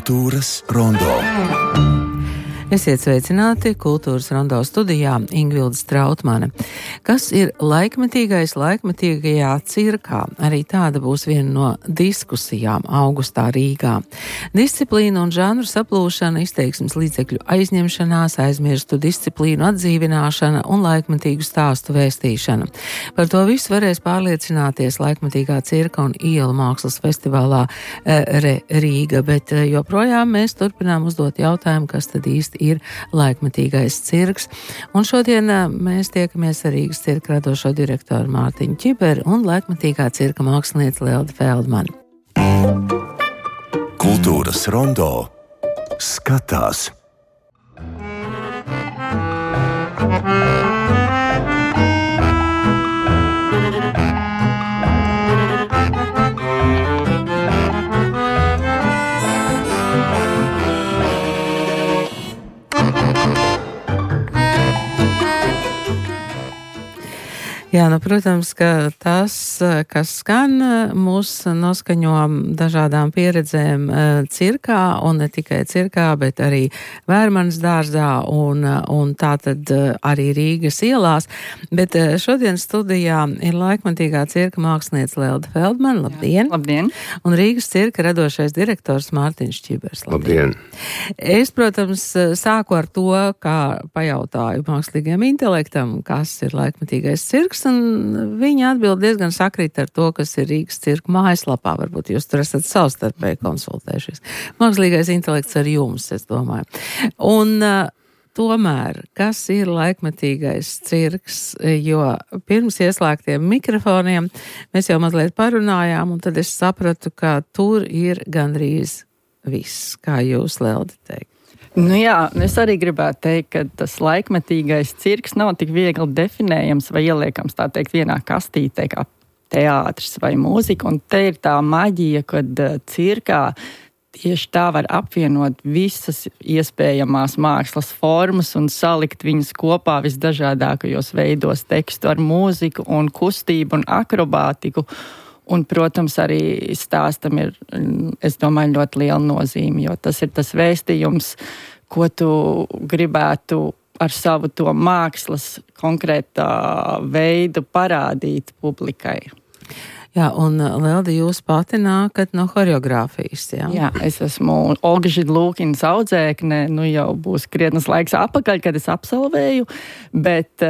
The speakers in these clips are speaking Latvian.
Kultūras rondo. Esiet sveicināti Kultūras rondo studijā Ingvilde Strautmane. Kas ir laikmetīgais laikmetīgajā cirkā? Arī tāda būs viena no diskusijām augustā Rīgā. Disciplīna un žanru saplūšana, izteiksmes līdzekļu aizņemšanās, aizmirstu disciplīnu atdzīvināšana un laikmetīgu stāstu vēstīšana. Par to visu varēs pārliecināties laikmetīgā cirka un ielu mākslas festivālā Rīga, bet joprojām mēs turpinām uzdot jautājumu, kas tad īsti ir laikmetīgais cirks. Un šodien mēs tiekamies ar Rīgas cirka radošo direktoru Mārtiņu Čiberu un laikmetīgā cirka mākslinieci Lelde Feldmani. Kultūras rondo skatās. Jā, protams, ka tas, kas skan, mūs noskaņo dažādām pieredzēm cirkā, un ne tikai cirkā, bet arī Vērmanas dārzā un tātad arī Rīgas ielās. Bet šodien studijā ir laikmetīgā cirka māksliniece Lelde Feldmane. Labdien! Labdien! Un Rīgas cirka radošais direktors Mārtiņš Čibers. Labdien! Es, protams, sāku ar to, kā pajautāju mākslīgiem intelektam, kas ir laikmetīgais cirks. Un viņa atbild diezgan sakrīt ar to, kas ir Rīgas cirka mājaslapā. Varbūt jūs tur esat savstarpēji konsultējušies. Mākslīgais intelekts ar jums, es domāju. Un tomēr, kas ir laikmetīgais cirks, jo pirms ieslēgtiem mikrofoniem mēs jau mazliet parunājām, un tad es sapratu, ka tur ir gandrīz viss, kā jūs, Lelde, teikt. Nu jā, es arī gribētu teikt, ka tas laikmetīgais cirks nav tik viegli definējams vai ieliekams, tā teikt, vienā kastītē kā teātris vai mūzika. Un te ir tā maģija, kad cirkā tieši tā var apvienot visas iespējamās mākslas formas un salikt viņas kopā visdažādākajos veidos, tekstu ar mūziku un kustību un akrobātiku. Un, protams, arī stāstam ir, es domāju, ļoti liela nozīme, jo tas ir tas vēstījums, ko tu gribētu ar savu to mākslas konkrētā veidu parādīt publikai. Jā, un Lelde, jūs pati nākat no horeogrāfijas, jā? Jā, es esmu Olga Židlūkinas audzēkne, jau būs krietnes laiks apakaļ, kad es absolvēju, bet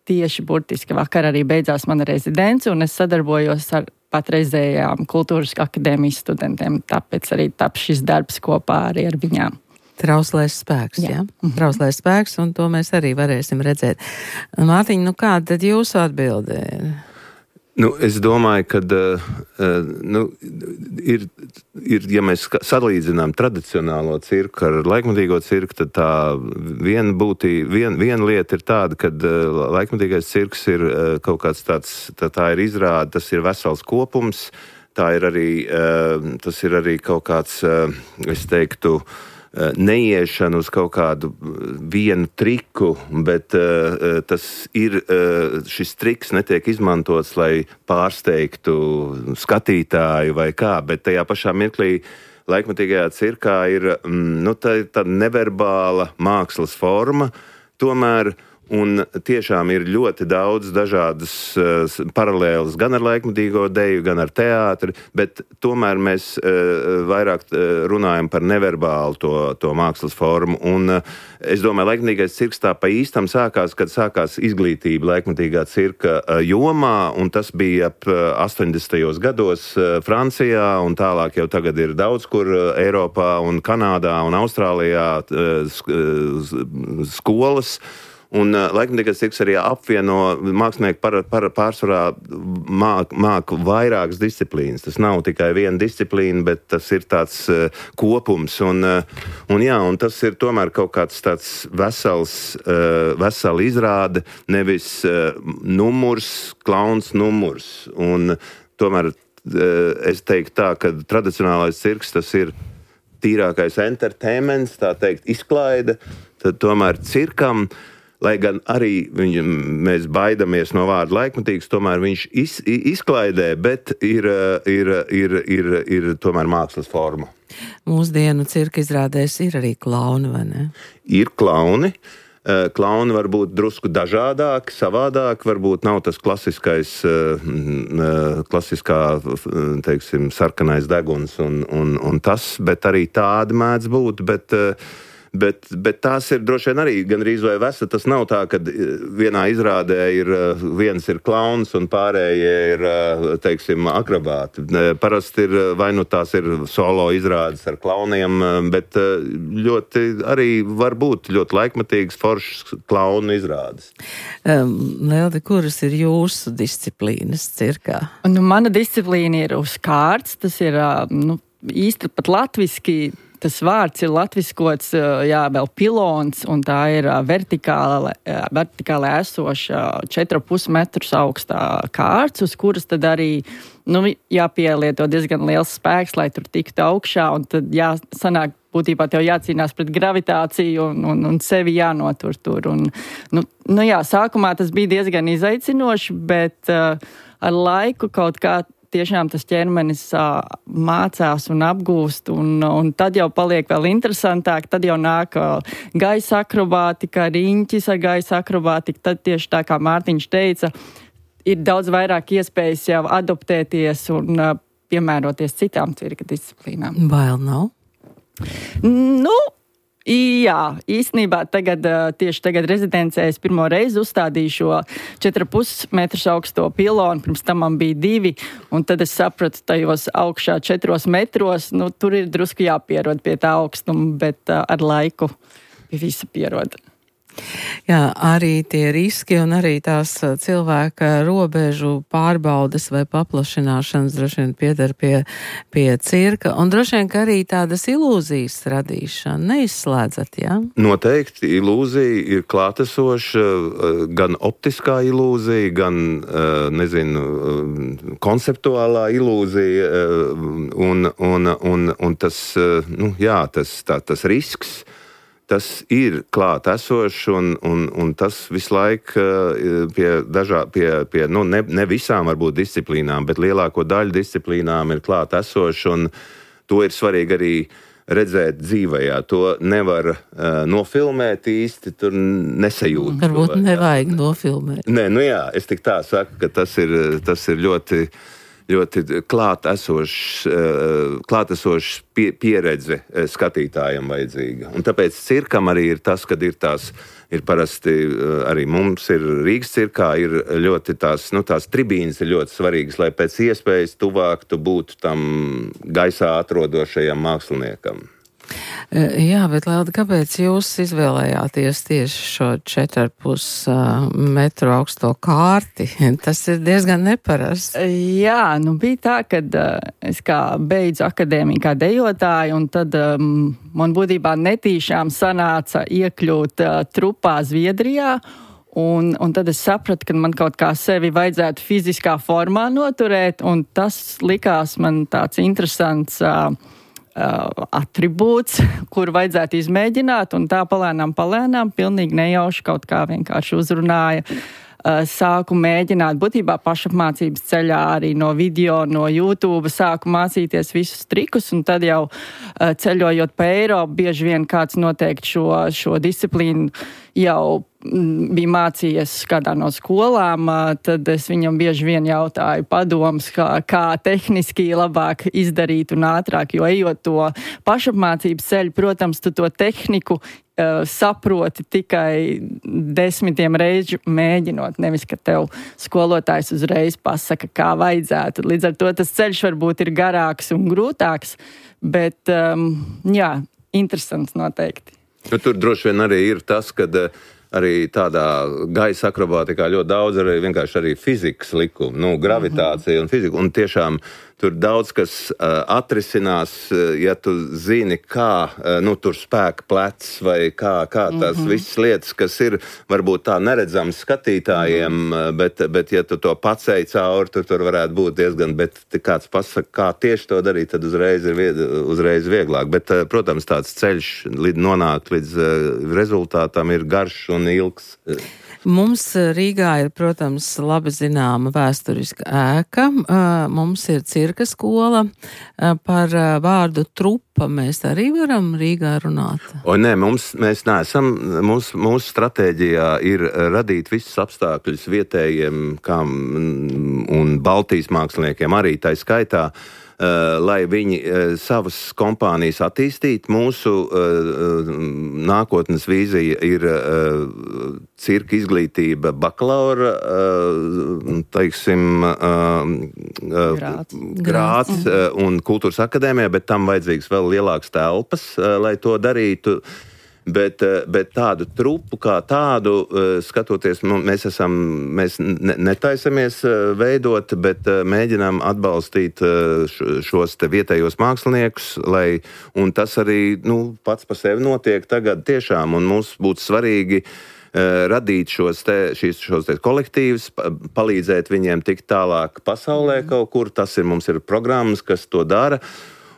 tieši burtiski vakar arī beidzās mana rezidence, un es sadarbojos ar patreizējām kultūras akadēmijas studentiem, tāpēc arī tap šis darbs kopā arī ar viņām. Trauslais spēks, jā? Trauslais spēks, un to mēs arī varēsim redzēt. Mārtiņ, kāda tad jūsu atbilde ir? Es domāju, ka ja mēs salīdzinām tradicionālo cirku ar laikmetīgo cirku, tad tā viena lieta ir tāda, ka laikmetīgais cirks ir kaut kāds tāds, tā ir izrāde, tas ir vesels kopums, tas ir arī kaut kāds, es teiktu, neiešana uz kaut kādu vienu triku, bet šis triks netiek izmantots, lai pārsteigtu skatītāju vai kā, bet tajā pašā mirklī laikmetīgajā cirkā ir tā neverbāla mākslas forma, tomēr. Un tiešām ir ļoti daudz dažādas paralēlas gan ar laikmetīgo deju, gan ar teātri, bet tomēr mēs vairāk runājam par neverbālu to mākslas formu. Un es domāju, laikmetīgais cirks tā pa īstam sākās, kad sākās izglītība laikmetīgā cirka jomā, un tas bija ap 80. gados Francijā, un tālāk jau tagad ir daudz kur Eiropā un Kanādā un Austrālijā skolas. Un laikmetīgais cirks arī apvieno mākslinieki pārsvarā māk vairākas disciplīnas. Tas nav tikai viena disciplīna, bet tas ir tāds kopums. Un tas ir tomēr kaut kāds tāds vesela izrāde, nevis klauns numurs. Un tomēr es teiktu tā, ka tradicionālais cirks tas ir tīrākais entertainments, tā teikt, izklaide. Tad tomēr cirkam lai gan arī mēs baidamies no vārda laikmatīgs, tomēr viņš izklaidē, bet ir tomēr mākslas forma. Mūsdienu cirka izrādēs ir arī klauni, vai ne? Ir klauni. Klauni var būt drusku dažādāki, savādāki, varbūt nav tas klasiskā, teiksim, sarkanais deguns un tas, bet arī tādi mēdz būt, bet tās ir droši vien arī gandrīz vai vesa. Tas nav tā, ka vienā izrādē viens ir klauns un pārējie ir, teiksim, akrobāti. Parasti ir, vai nu tās ir solo izrādes ar klauniem, bet ļoti arī var būt ļoti laikmatīgas foršas klaunu izrādes. Lelde, kuras ir jūsu disciplīnas cirkā? Mana disciplīna ir uz kārts, tas ir īsti pat latviski. Tas vārds ir latviskots, vēl pilons, un tā ir vertikāli esoša 4,5 metrus augstā kārts, uz kuras tad arī jāpielieto diezgan liels spēks, lai tur tiktu augšā, un tad sanāk būtībā tev jācīnās pret gravitāciju un sevi jānotur tur. Sākumā tas bija diezgan izaicinoši, bet ar laiku kaut kā tiešām tas ķermenis mācās un apgūst, un tad jau paliek vēl interesantāk, tad jau nāk gaisa akrobātika, riņķis ar gaisa akrobātiku, tad tieši tā kā Mārtiņš teica, ir daudz vairāk iespējas jau adaptēties un piemēroties citām cirka disciplīnām. Bail nav? Jā, īstenībā tieši tagad rezidencē es pirmo reizi uzstādīju šo 4,5 metrus augsto pilonu, pirms tam man bija 2, un tad es sapratu tajos augšā 4 metros, tur ir drusku jāpierod pie tā augstuma, bet ar laiku pie visa pierod. Jā, arī tie riski un arī tās cilvēka robežu pārbaudes vai paplašināšanas droši vien pieder pie cirka, un droši vien, ka arī tādas ilūzijas radīšana neizslēdzat, jā? Noteikti ilūzija ir klātesoša, gan optiskā ilūzija, gan, konceptuālā ilūzija, un tas, tas risks, tas ir klāt esošs, un tas visu laiku ne visām varbūt disciplīnām, bet lielāko daļu disciplīnām ir klāt esošs, un to ir svarīgi arī redzēt dzīvajā. To nevar nofilmēt īsti, tur nesajūt. Varbūt nevajag nofilmēt. Nē, es tik tā saku, ka tas ir ļoti klātesošs pieredze skatītājam vajadzīga. Un tāpēc cirkam arī ir tas, kad ir parasti arī mums ir Rīgas cirkā, ir ļoti tās tribīnes ir ļoti svarīgas, lai pēc iespējas tuvāk tu būtu tam gaisā atrodošajam māksliniekam. Jā, bet Lelde, kāpēc jūs izvēlējāties tieši šo 4,5 metru augsto kārti? Tas ir diezgan neparasts. Jā, bija tā, kad es kā beidzu akadēmiju kā dejotāju, un tad man būtībā netīšām sanāca iekļūt trupā Zviedrijā, un tad es sapratu, ka man kaut kā sevi vajadzētu fiziskā formā noturēt, un tas likās man tāds interesants atribūts, kur vajadzētu izmēģināt, un tā palēnām, pilnīgi nejauši kaut kā vienkārši uzrunāja. Sāku mēģināt, būtībā pašapmācības ceļā arī no video, no YouTube, sāku mācīties visus trikus, un tad jau ceļojot pa Eiropu, bieži vien kāds noteikti šo disciplīnu jau bija mācījies kādā no skolām, tad es viņam bieži vien jautāju padomus, kā tehniski labāk izdarīt un ātrāk, jo ejot to pašapmācības ceļu, protams, tu to tehniku saproti tikai 10 reižu mēģinot, nevis, ka tev skolotājs uzreiz pasaka, kā vajadzētu. Līdz ar to tas ceļš varbūt ir garāks un grūtāks, bet, interesants noteikti. Tur droši vien arī ir tas, kad arī tādā gaisa akrobātikā ļoti daudz arī vienkārši arī fizikas likumi, gravitācija un fizika, un tiešām tur daudz kas atrisinās, ja tu zini, kā tur spēka plecs vai kā tās visas lietas, kas ir varbūt tā neredzams skatītājiem, bet ja tu to pacēji cauri, tur varētu būt diezgan, bet kāds pasaka, kā tieši to darīt, tad uzreiz vieglāk. Bet, protams, tāds ceļš nonākt līdz rezultātam ir garš un ilgs. Mums Rīgā ir, protams, labi zināma vēsturiska ēka. Mums ir cirka skola. Par vārdu trupa mēs arī varam Rīgā runāt. Nē, mēs neesam. Mūsu stratēģijā ir radīt visus apstākļus vietējiem un Baltijas māksliniekiem arī tā skaitā, lai viņi savas kompānijas attīstītu. Mūsu nākotnes vīzija ir cirka izglītība bakalaura, teiksim, grāds un kultūras akadēmijā, bet tam vajadzīgs vēl lielāks telpas, lai to darītu. Bet tādu trupu kā tādu, skatoties, mēs netaisamies veidot, bet mēģinām atbalstīt šos te vietējos māksliniekus, un tas arī pats pa sevi notiek tagad tiešām, un mums būtu svarīgi radīt šos kolektīvus, palīdzēt viņiem tikt tālāk pasaulē kaut kur, mums ir programmas, kas to dara.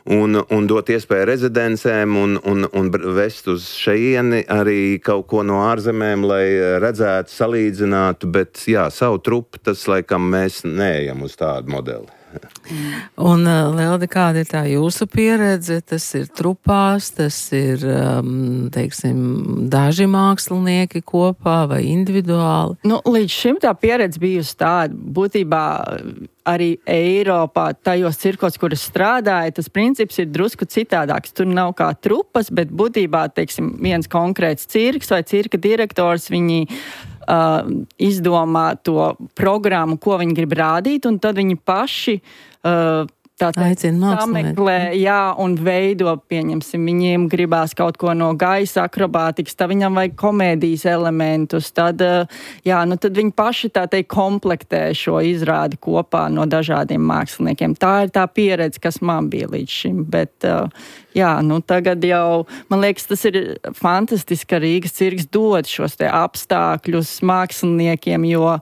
Un dot iespēju rezidencēm un vest uz šeieni arī kaut ko no ārzemēm, lai redzētu, salīdzinātu, bet jā, savu trupu, tas laikam mēs neejam uz tādu modeli. Un, Lelde, kāda ir tā jūsu pieredze? Tas ir trupās, tas ir, teiksim, daži mākslinieki kopā vai individuāli? Līdz šim tā pieredze bijusi tāda, būtībā arī Eiropā, tajos cirkos, kur es strādāju, tas princips ir drusku citādāks. Tur nav kā trupas, bet būtībā, teiksim, viens konkrēts cirks vai cirka direktors, viņi izdomā to programmu, ko viņi grib rādīt, un tad viņi paši sameklē, un veido, pieņemsim, viņiem gribās kaut ko no gaisa akrobātikas, tad viņam vajag komēdijas elementus, tad viņi paši komplektē šo izrādi kopā no dažādiem māksliniekiem. Tā ir tā pieredze, kas man bija līdz šim, bet tagad jau, man liekas, tas ir fantastiski, ka Rīgas cirks dod šos te apstākļus māksliniekiem, jo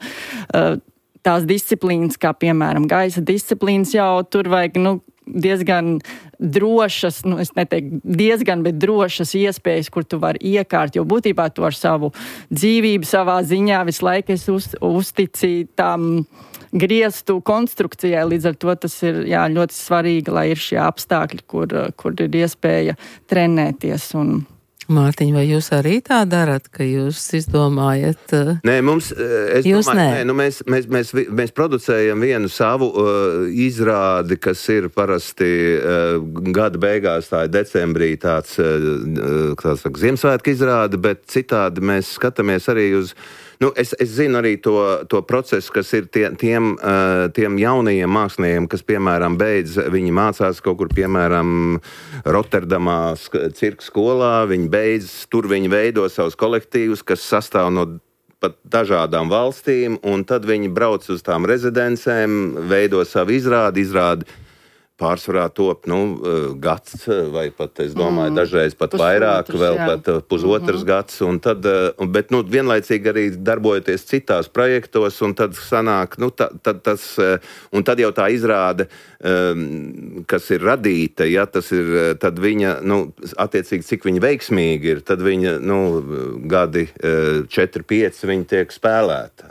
tās disciplīnas, kā piemēram gaisa disciplīnas, jau tur vajag diezgan drošas, es neteiktu diezgan, bet drošas iespējas, kur tu vari iekārt, jo būtībā tu ar savu dzīvību savā ziņā visu laiku es uzticīju tam griestu konstrukcijai, līdz ar to tas ir ļoti svarīgi, lai ir šie apstākļi, kur ir iespēja trenēties un Mārtiņ, vai jūs arī tā darat, ka jūs izdomājat? Nē, mēs producējam vienu savu izrādi, kas ir parasti gada beigās, tā ir decembrī tāds Ziemassvētku izrāde, bet citādi mēs skatāmies arī uz es zinu arī to procesu, kas ir tiem jaunajiem māksliniekiem, kas, piemēram, viņi mācās kaut kur, piemēram, Rotterdamā cirka skolā, viņi tur viņi veido savus kolektīvus, kas sastāv no pat dažādām valstīm, un tad viņi brauc uz tām rezidencēm, veido savu izrādi pārsvarā top, gads, vai pat, es domāju, dažreiz pat vairāk, vēl pat pusotrs gads, un tad, bet, vienlaicīgi arī darbojoties citās projektos, un tad sanāk, un tad jau tā izrāde, kas ir radīta, tas ir, tad viņa, attiecīgi, cik viņa veiksmīgi ir, tad viņa, gadi 4-5 viņa tiek spēlēta,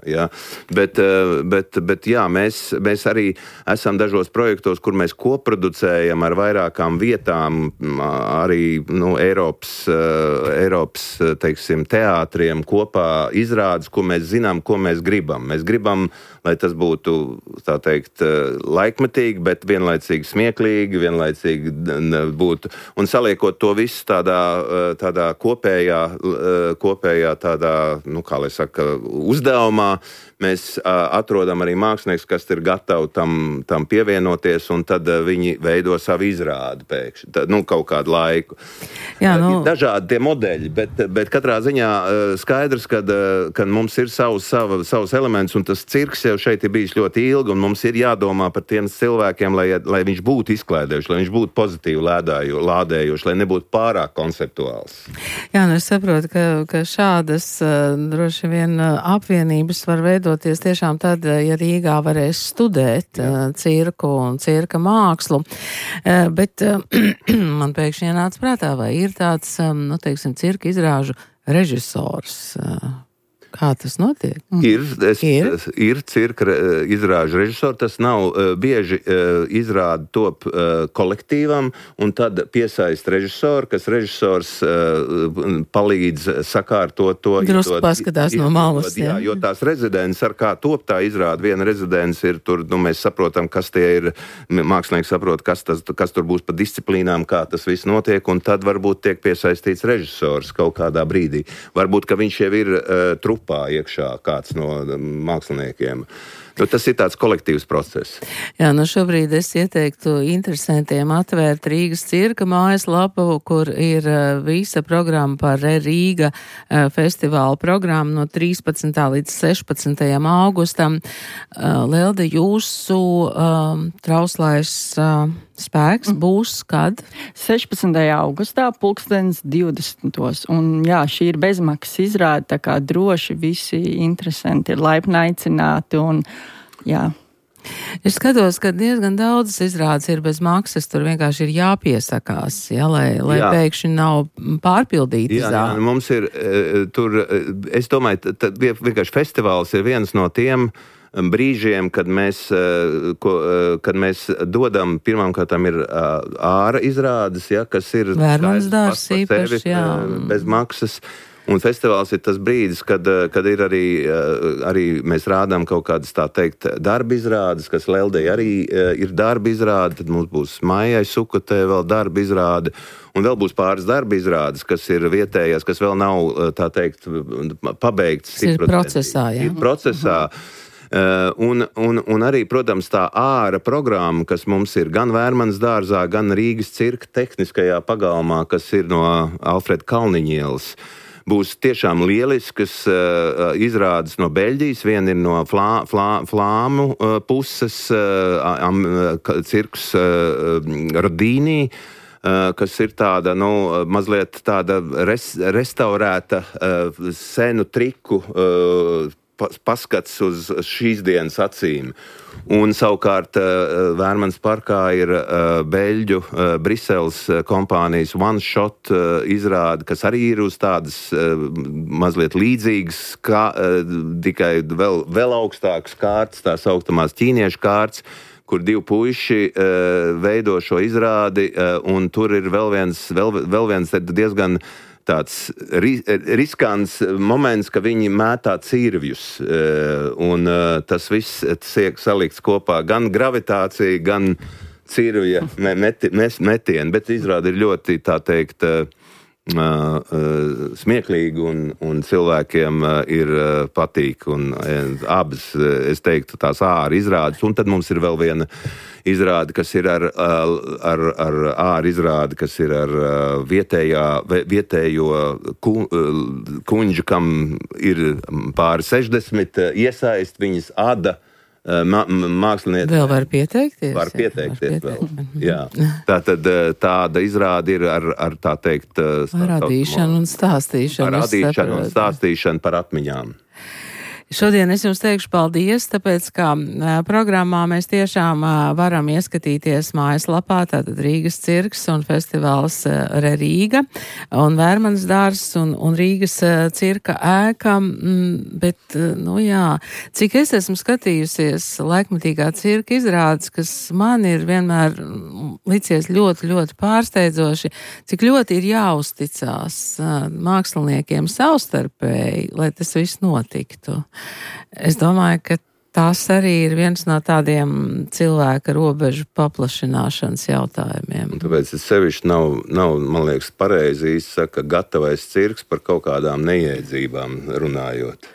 Bet mēs arī esam dažos projektos, kur mēs producējam ar vairākām vietām, arī Eiropas, teiksim, teātriem kopā izrādes, ko mēs zinām, ko mēs gribam. Mēs gribam, lai tas būtu, tā teikt, laikmetīgi, bet vienlaicīgi smieklīgi, vienlaicīgi būtu, un saliekot to visu tādā kopējā tādā, kā lai saka, uzdevumā, mēs atrodam arī mākslinieks, kas ir gatavi tam pievienoties, un tad viņi veido savu izrādi pēkšņi, kaut kādu laiku. Jā, Ir dažādi tie modeļi, bet katrā ziņā skaidrs, ka mums ir savs elements, un tas cirks jau šeit ir bijis ļoti ilgi, un mums ir jādomā par tiem cilvēkiem, lai viņš būtu izklaidējuši, lai viņš būtu pozitīvi lādējuši, lai nebūtu pārāk konceptuāls. Jā, es saprotu, ka šādas droši vien apvienības var veidoties tiešām tad, ja Rīgā varēs studēt cirku un cirka mākslu. Bet man pēkšņi ienāca prātā, vai ir tāds, teiksim, cirka izrāžu režisors. Kā tas notiek? Ir cirka izrāžu režisori, tas nav bieži izrāda top kolektīvam, un tad piesaist režisoru, kas režisors palīdz sakārtot to. Drusku paskatās no malas. Jā, jo tās rezidents, ar kā top tā izrāda, viena rezidents ir tur, mēs saprotam, kas tie ir, mākslinieki saprot, kas tur būs pa disciplīnām, kā tas viss notiek, un tad varbūt tiek piesaistīts režisors kaut kādā brīdī. Varbūt, ka viņš jau ir trupā iekšā kāds no māksliniekiem. Tas ir tāds kolektīvs process. Jā, šobrīd es ieteiktu interesantiem atvērt Rīgas cirka mājaslapu, kur ir visa programma par Rīga festivāla programmu no 13. līdz 16. augustam. Lelde, jūsu trauslais spēks būs kad? 16. augustā, 2020. Un jā, šī ir bezmaksas izrāde, tā kā droši visi interesanti ir laipni aicināti un jā. Es skatos, ka diezgan daudzas izrādes ir bez maksas, tur vienkārši ir jāpiesakās, lai pēkšņi nav pārpildīti zāli. Jā, mums ir tur, es domāju, vienkārši festivāls ir viens no tiem brīžiem, kad mēs dodam, pirmkārtām ir āra izrādes, kas ir Vērmanas dārs īpaši, bez maksas. Un festivāls ir tas brīdis, kad ir arī mēs rādām kaut kādas, tā teikt, darba izrādes, kas Leldei arī ir darba izrāde, tad mums būs Maijai Sukotē vēl darba izrāde, un vēl būs pāris darba izrādes, kas ir vietējās, kas vēl nav, tā teikt, pabeigts. Ir procesā, jā. Ir procesā. Un arī, protams, tā āra programma, kas mums ir gan Vērmanas dārzā, gan Rīgas cirka tehniskajā pagalmā, kas ir no Alfreda Kalniņielas, būs tiešām lieliskas izrādes no Beļģijas. Viena ir no flāmu puses, cirks Rodīnī, kas ir tāda, mazliet tāda restaurēta senu triku paskats uz šīs dienas acīm. Un savukārt Vērmanas parkā ir beļģu Briseles kompānijas One Shot izrāde, kas arī ir uz tādas mazliet līdzīgas, tikai vēl augstākas kārtas, tā sauktamās ķīniešu kārtas, kur divi puiši veido šo izrādi, un tur ir vēl viens diezgan tāds riskants moments, ka viņi mētā cirvjus, un tas viss tiek salikts kopā, gan gravitācija, gan cirvja metieni, bet izrāda ir ļoti, tā teikt, smieklīgi un cilvēkiem ir patīk, un abas, es teiktu, tās āra izrādes, un tad mums ir vēl viena izrāde, kas ir ar āra izrāde, kas ir ar vietējo kuņģu, kam ir pāri 60 iesaist, viņas ada mākslinieci. Vēl var pieteikties? Var pieteikties vēl. Jā. Tāda izrāde ir ar tā teikt... Radīšanu un stāstīšanu. Radīšanu un stāstīšanu par atmiņām. Šodien es jums teikšu paldies, tāpēc, ka programmā mēs tiešām varam ieskatīties mājaslapā, tātad Rīgas cirks un festivāls Rīga un Vērmanas dārs un Rīgas cirka ēka, bet, cik es esmu skatījusies laikmatīgā cirka izrādes, kas man ir vienmēr licies ļoti, ļoti pārsteidzoši, cik ļoti ir jāuzticās māksliniekiem savstarpēji, lai tas viss notiktu. Es domāju, ka Tas arī ir viens no tādiem cilvēka robežu paplašināšanas jautājumiem. Un tāpēc tas sevišķi nav, man liekas, pareizi izsaka gatavais cirks par kaut kādām neiedzībām runājot.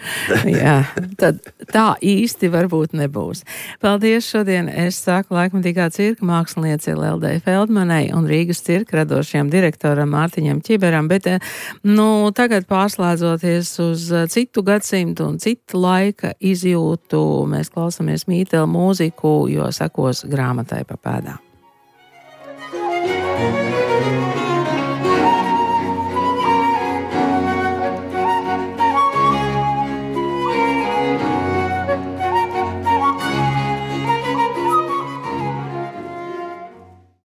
Jā, tad tā īsti varbūt nebūs. Paldies šodien. Es saku laikmatīgā cirka mākslinieci Leldei Feldmanai un Rīgas cirka radošajam direktoram Mārtiņam Čiberam, bet tagad pārslēdzoties uz citu gadsimtu un citu laika izjūtu, mēs klausāmies Mītela mūziku, jo sekos grāmatai pa pēdām.